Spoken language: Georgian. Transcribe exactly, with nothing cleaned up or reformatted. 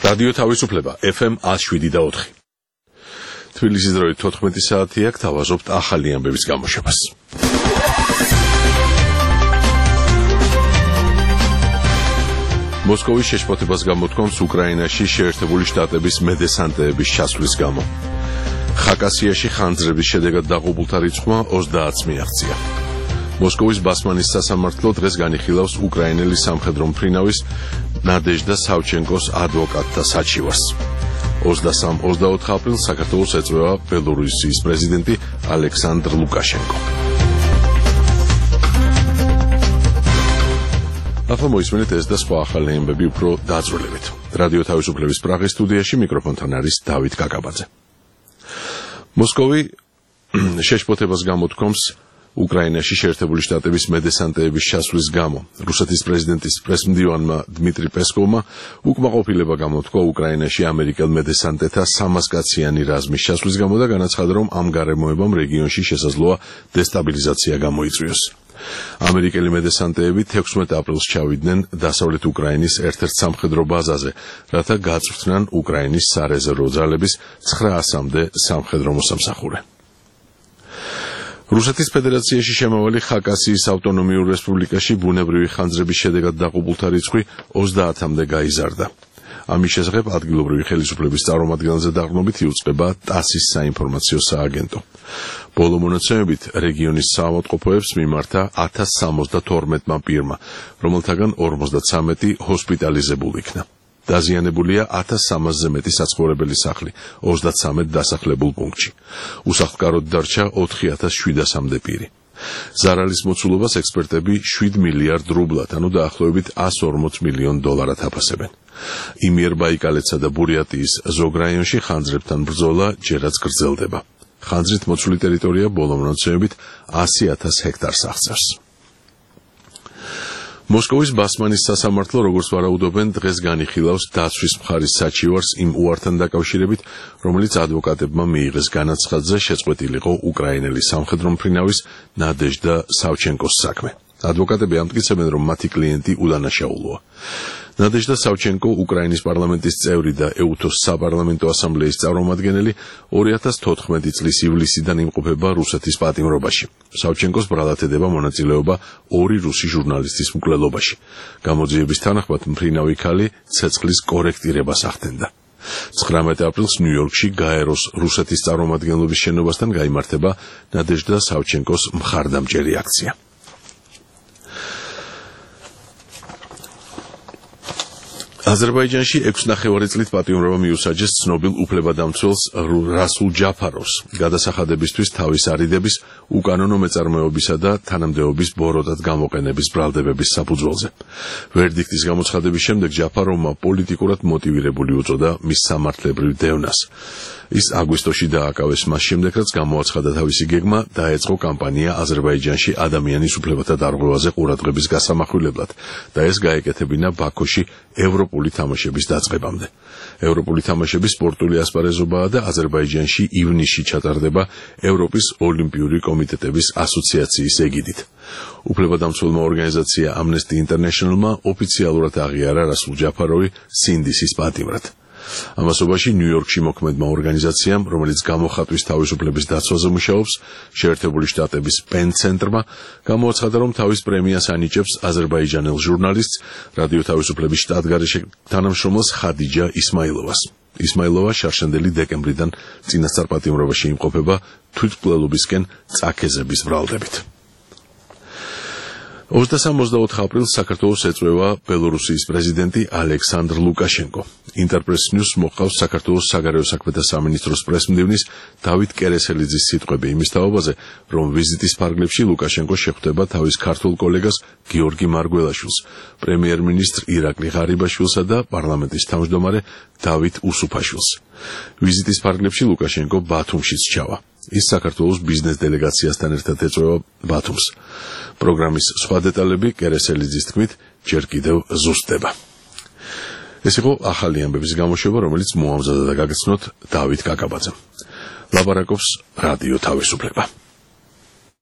რადიო თავისუფლება ეფ ემ one oh seven და four. თბილისის დროით თოთხმეტი საათია, გთავაზობთ ახალი ამბების გამოშვებას. მოსკოვის შეშფოთებას გამოთქვამს უკრაინაში შეერთებული შტატების მედესანტეების ჩასვლის გამო. ხაკასიაში ხანძრების შედეგად დაღუპულთა რიცხვმა ოცდაათს მიაღწია. მოსკოვის ბასმანის სასამართლო დღეს განიხილავს უკრაინელი სამხედრო მფრინავის ნადეჟდა სავჩენკოს ადვოკატთა საჩივარს. ოცდასამ ოცდაოთხ აპრილს საქართველოს ეწვევა ბელორუსიის პრეზიდენტი ალექსანდრ ლუკაშენკო. ახლა მოისმენთ ეს და სხვა ახალი ამბები უფრო დაწვრილებით. რადიო თავისუფლების პრაღის სტუდიაში მიკროფონთან არის დავით კაკაბაძე. მოსკოვი შეშფოთებას გამოთქვამს უკრაინაში შეერთებული შტატების მედესანტეების ჩასვლის გამო. რუსეთის პრეზიდენტის პრესმდივანმა დმიტრი პესკოვმა უკმაყოფილება გამოთქვა უკრაინაში ამერიკელ მედესანტეთა სამასკაციანი რაზმის ჩასვლის გამო და განაცხადა, რომ ამ გარემოებამ რეგიონში შესაძლოა დესტაბილიზაცია გამოიწვიოს. ამერიკელი მედესანტეები თექვსმეტ აპრილს ჩავიდნენ დასავლეთ უკრაინის ერთ-ერთ სამხედრო ბაზაზე, რათა გაწვრთნან უკრაინის სარეზერვო ძალების ცხრაასამდე სამხედრო მოსამსახურე. რუსეთის ფედერაციაში შემავალი ხაკასიის ავტონომიურ რესპუბლიკაში ბუნებრივი ხანძრების შედეგად დაღუპულთა რიცხვი ოცდაათამდე გაიზარდა. ამის შესახებ ადგილობრივი ხელისუფლების წარმომადგენელზე დაყრდნობით იუწყება ტასის საინფორმაციო სააგენტო. ბოლო მონაცემებით რეგიონის საავადმყოფოებს მიმართა ათას სამოცდათორმეტმა პირმა, რომელთაგან ორმოცდაცამეტი ჰოსპიტალიზებულ იქნა. დაზიანებულია ათას სამასზე მეტი საცხოვრებელი სახლი, ოცდაცამეტ დასახლებულ პუნქტში. უსახლკაროდ დარჩა ოთხი ათას შვიდასამდე პირი. ზარალის მოცულობას ექსპერტები შვიდ მილიარდ რუბლად, ანუ დაახლოებით εκατს ორმოც მილიონ დოლარად აფასებენ. იმიერბაიკალეთსა და ბურიატიის ზოგ რაიონში ხანძრებთან ბრძოლა ჯერაც გრძელდება. ხანძრით მოცული ტერიტორია ბოლო მონაცემებით ასი ათას ჰექტარს აღწევს. მოსკოვის ბასმანის სასამართლო, როგორც ვარაუდობენ, დღეს განიხილავს დაცვის მხარის საჩივარს იმ უართან დაკავშირებით, რომელიც ადვოკატებმა მიიღეს განაცხადზე შეწყვეტილიყო უკრაინელი სამხედრო მფრინავის ნადეჟდა სავჩენკოს საქმე. ადვოკატები ამტკიცებენ, რომ მათი კლიენტი უდანაშაულოა. ნადეჟდა სავჩენკო უკრაინის პარლამენტის წევრი და ეუთოს საპარლამენტო ასამბლეის წარმომადგენელი ორი ათას თოთხმეტი წლის ივლისიდან იმყოფება რუსეთის პატიმრობაში. სავჩენკოს ბრალად ედება მონაწილეობა ორი რუსი ჟურნალისტის მკვლელობაში. გამოძიების თანახმად მფრინავი ქალი ცეცხლის კორექტირებას ახდენდა. ცხრამეტ აპრილს ნიუ-იორკში გაეროს რუსეთის წარმომადგენლობის შენობასთან გაიმართება ნადეჟდა სავჩენკოს მხარდამჭერი აქცია. აზერბაიჯანში ექვსი ნახევარი წლით პატიმრობა მიუსაჯეს ცნობილ უფლებადამცველს რასულ ჯაფაროვს გადასახადებისთვის თავის არიდების, უკანონო მეწარმეობისა და თანამდებობის ბოროტად გამოყენების ბრალდებების საფუძველზე. ვერდიქტის გამოცხადების შემდეგ ჯაფაროვმა პოლიტიკურად მოტივირებული უწოდა მის სამართლებრივ დევნას. ის აგვისტოში დააკავეს მას შემდეგ, რაც გამოაცხადა თავისი გეგმა, დაეწყო კამპანია აზერბაიჯანში ადამიანის უფლებათა დარღვევაზე ყურადღების გასამახვილებლად და ეს გაეკეთებინა ბაქოში ევროპული თამაშების დაწყებამდე. ევროპული თამაშების სპორტული ასპარეზობაა და აზერბაიჯანში ივნისში ჩატარდება ევროპის ოლიმპიური კომიტეტების ასოციაციის ეგიდით. უფლებადამცველმა ორგანიზაცია Amnesty International-მა ოფიციალურად აღიარა რასულ ჯაფაროვი სინდისის პატიმრად. ამასობაში ნიუ-იორკში მოქმედმა ორგანიზაციამ, რომელიც გამოხატვის თავისუფლების დაცვაზე მუშაობს, შეერთებული შტატების პენ ცენტრმა, გამოაცხადა, რომ თავის პრემიას ანიჭებს აზერბაიჯანელ ჟურნალისტს, რადიო თავისუფლების შტატგარეშე თანამშრომელს ხადიჯა ისმაილოვას. ისმაილოვა შარშანდელი დეკემბრიდან წინასწარ პატიმრობაში იმყოფება თვითმკვლელობისკენ წაქეზების ბრალდებით. ოცდასამ ოცდაოთხ აპრილს საქართველოს ეწვევა ბელორუსიის პრეზიდენტი ალექსანდრ ლუკაშენკო. ინტერპრეს ნიუს მოყავს საქართველოს საგარეო საქმეთა სამინისტროს პრესმდივნის დავით კერესელიძის სიტყვები იმის თაობაზე, რომ ვიზიტის ფარგლებში ლუკაშენკო შეხვდება თავის ქართულ კოლეგას გიორგი მარგველაშვილს, პრემიერ-მინისტრ ირაკლი ღარიბაშვილსა და პარლამენტის თავმჯდომარე დავით უსუფაშვილს. ვიზიტის ფარგლებში ლუკაშენკო ბათუმშიც ჩავა. ის საქართველოს ბიზნეს დელეგაციასთან ერთად ეწვევა ბათუმს. პროგრამის სხვა დეტალები კერესელიძის თქმით ჯერ კიდევ ზუსტდება. ეს იყო ახალი ამბების გამოშვება, რომელიც მოამზადა და გაგაცნოთ დავით კაკაბაძემ. ლაპარაკობს რადიო თავისუფლება.